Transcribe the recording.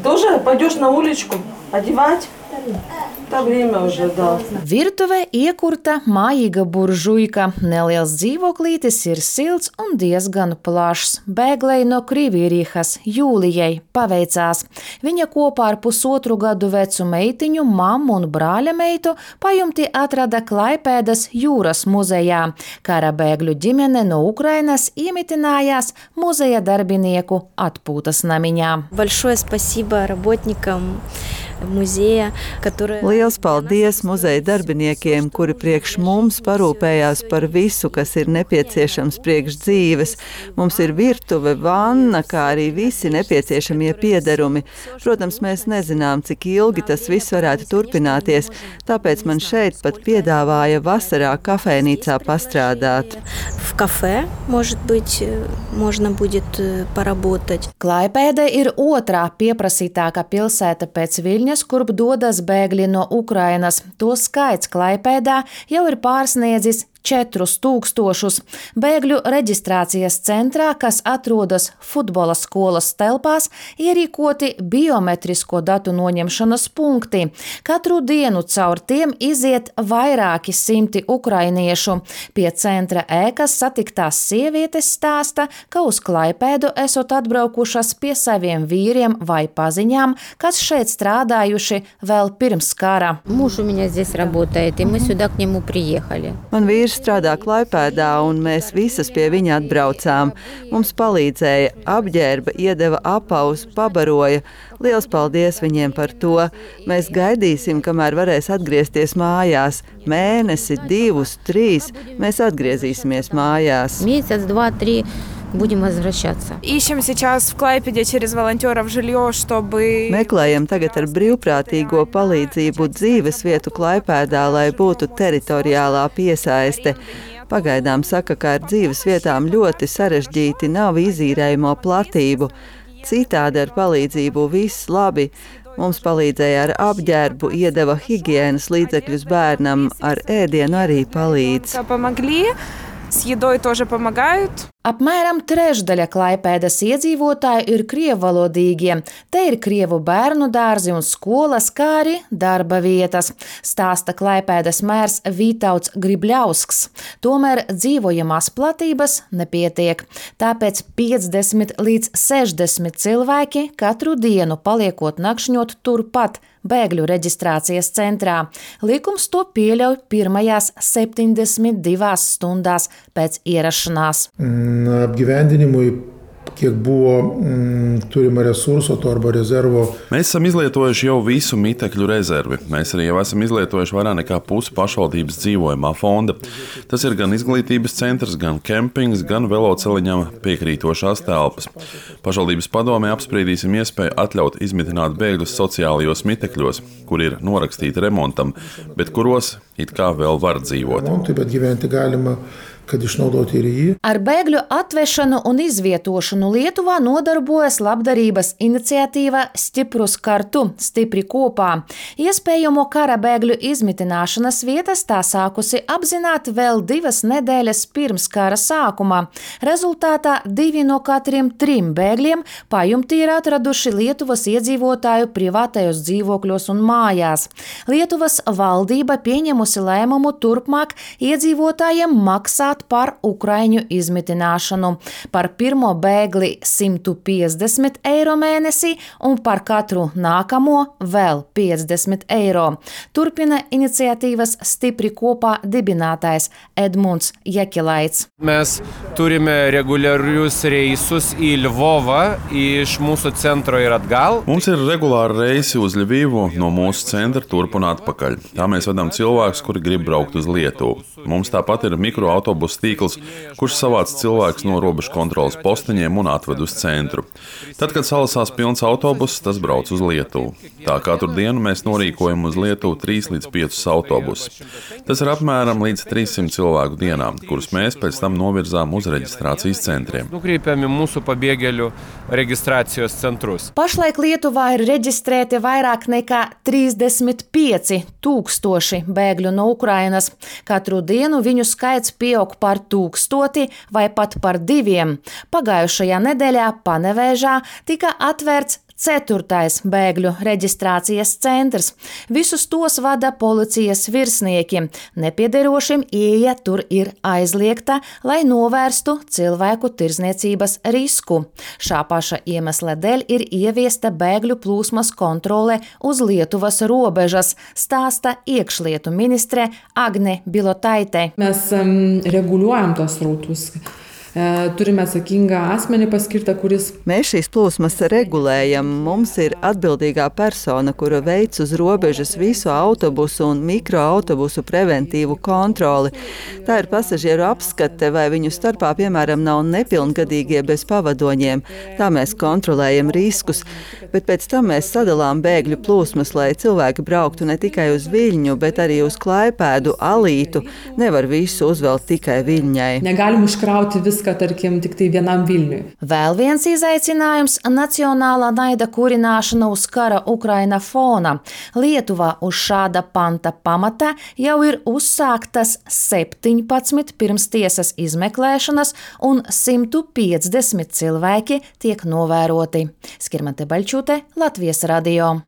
Тоже пойдешь на уличку одевать? Tā время уже, да. Virtuve iekurta mājīga buržuika. Neliels dzīvoklītis ir silts un diezgan plašs. Bēglei no Krivīrihas Jūlijai paveicās. Viņa kopā ar 1,5 gadu vecu meitiņu, mammu un brāļa meitu pajumti atrada Klaipēdas jūras muzejā. Kara bēgļu ģimene no Ukrainas iemitinājās muzeja darbinieku atpūtas namiņā. Большое спасибо работникам muzeja, Liels paldies muzeja darbiniekiem, kuri priekš mums parūpējās par visu, kas ir nepieciešams priekš dzīves. Mums ir virtuve, vanna, kā arī visi nepieciešamie piederumi. Protams, mēs nezinām, cik ilgi tas viss varētu turpināties, tāpēc man šeit pat piedāvāja vasarā kafejnīcā pastrādāt. В кафе, может быть, можно будет поработать. Klaipēda ir otrā pieprasītākā pilsēta pēc Viļņas, kurp dodas bēgļi no Ukrainas. To skaits Klaipēdā jau ir pārsniedzis 4,000. Bēgļu reģistrācijas centrā, kas atrodas futbola skolas telpās, ierīkoti biometrisko datu noņemšanas punkti. Katru dienu caur tiem iziet vairāki simti ukrainiešu. Pie centra ēkas satiktās sievietes stāsta, ka uz Klaipēdu esot atbraukušas pie saviem vīriem vai paziņām, kas šeit strādājuši vēl pirms kara. Муж у меня здесь работает, и мы сюда к нему приехали. Man vīrs strādā Klaipēdā, un mēs visas pie viņa atbraucām. Mums palīdzēja, apģērba, iedeva apaus, pabaroja. Liels paldies viņiem par to. Mēs gaidīsim, kamēr varēs atgriezties mājās. Mēnesi, 2, 3, mēs atgriezīsimies mājās. Месяц, 2, 3 будем возвращаться. Ищем сейчас в Клайпеде через волонтеров жилье, чтобы... Meklējam tagad ar brīvprātīgo palīdzību dzīves vietu Klaipēdā, lai būtu teritoriālā piesaiste. Pagaidām saka, ka ar dzīves vietām ļoti sarežģīti, nav izīrējamo platību. Citādi ar palīdzību viss labi. Mums palīdzēja ar apģērbu, iedeva higienas līdzekļus bērnam, ar ēdienu arī palīdz. С едой тоже помогают. Apmēram trešdaļa Klaipēdas iedzīvotāju ir krievvalodīgie. Te ir krievu bērnu dārzi un skolas, kā arī darba vietas, stāsta Klaipēdas mērs Vītauts Gribļausks. Tomēr dzīvojamās platības nepietiek. Tāpēc 50 līdz 60 cilvēki katru dienu paliekot nakšņot turpat bēgļu reģistrācijas centrā. Likums to pieļauj pirmajās 72 stundās pēc ierašanās. Apgyvendinimui, kiek buvo turima resurso to arba rezervo. Mēs esam izlietojuši jau visu mitekļu rezervi. Mēs arī jau esam izlietojuši vairāk nekā pusi pašvaldības dzīvojamā fonda. Tas ir gan izglītības centrs, gan kempings, gan veloceliņam piekrītošās telpas. Pašvaldības padomē apspriedīsim iespēju atļaut izmitināt bēgļus sociālajos mitekļos, kur ir norakstīti remontam, bet kuros it kā vēl var dzīvot. Ar bēgļu atvešanu un izvietošanu Lietuvā nodarbojas labdarības iniciatīva Stiprus kartu, stipri kopā. Iespējamo kara bēgļu izmitināšanas vietas tā sākusi apzināt vēl 2 nedēļas pirms kara sākuma. Rezultātā 2 no katriem 3 bēgļiem pajumti ir atraduši Lietuvas iedzīvotāju privātajos dzīvokļos un mājās. Lietuvas valdība pieņemusi lēmumu turpmāk iedzīvotājiem maksāt par ukraiņu izmitināšanu. Par pirmo bēgli 150 eiro mēnesī un par katru nākamo vēl 50 eiro. Turpina iniciatīvas Stipri kopā dibinātājs Edmunds Jekilaits. Mēs turime regulārius reisus į Ļvovą iš mūsu centro ir atgal. Mums ir regulāri reisi uz Ļvivu no mūsu centra turp un atpakaļ. Tā mēs vedam cilvēkus, kuri grib braukt uz Lietuvu. Mums tāpat ir mikroautobusu tīkls, kurš savāc cilvēkus no robežu kontroles posteņiem un atved uz centru. Tad, kad salasās pilns autobuss, tas brauc uz Lietuvu. Tā katru dienu mēs norīkojam uz Lietuvu 3 līdz 5 autobusus. Tas ir apmēram līdz 300 cilvēku dienā, kurus mēs pēc tam novirzām uz reģistrācijas centriem. Nukreipiam į mūsu pabėgėlių reģistrācijos centrus. Pašlaik Lietuvā ir reģistrēti vairāk nekā 35 000 bēgļu no Ukrainas. Katru dienu viņu skaits pieaug par 1000 vai pat par 2. Pagājušajā nedēļā Panevēžā tika atvērts 4. bēgļu reģistrācijas centrs. Visus tos vada policijas virsnieki. Nepiederošiem ieeja tur ir aizliegta, lai novērstu cilvēku tirzniecības risku. Šā paša iemesla dēļ ir ieviesta bēgļu plūsmas kontrole uz Lietuvas robežas, stāsta iekšlietu ministre Agne Bilotaitė. Mes reguliuojam tos srautus. Turime atsakingą asmenį paskirtą, kuris. Mēs šīs plūsmas regulējam. Mums ir atbildīgā persona, kura veic uz robežas visu autobusu un mikroautobusu preventīvu kontroli. Tā ir pasažieru apskate, vai viņu starpā, piemēram, nav nepilngadīgie bez pavadoņiem. Tā mēs kontrolējam riskus, bet pēc tam mēs sadalām bēgļu plūsmas, lai cilvēki brauktu ne tikai uz Viļņu, bet arī uz Klaipēdu, Alītu. Nevar visu uzvelt tikai Viļņai. Negalim užkrauti viską, tarkim, tik tai vienam Viļņui. Vēl viens izaicinājums – nacionālā naida kurināšana uz kara Ukraina fona. Lietuvā uz šāda panta pamata jau ir uzsāktas 17 pirmstiesas izmeklēšanas un 150 cilvēki tiek novēroti. Skirmante Baļķūte, Latvijas radio.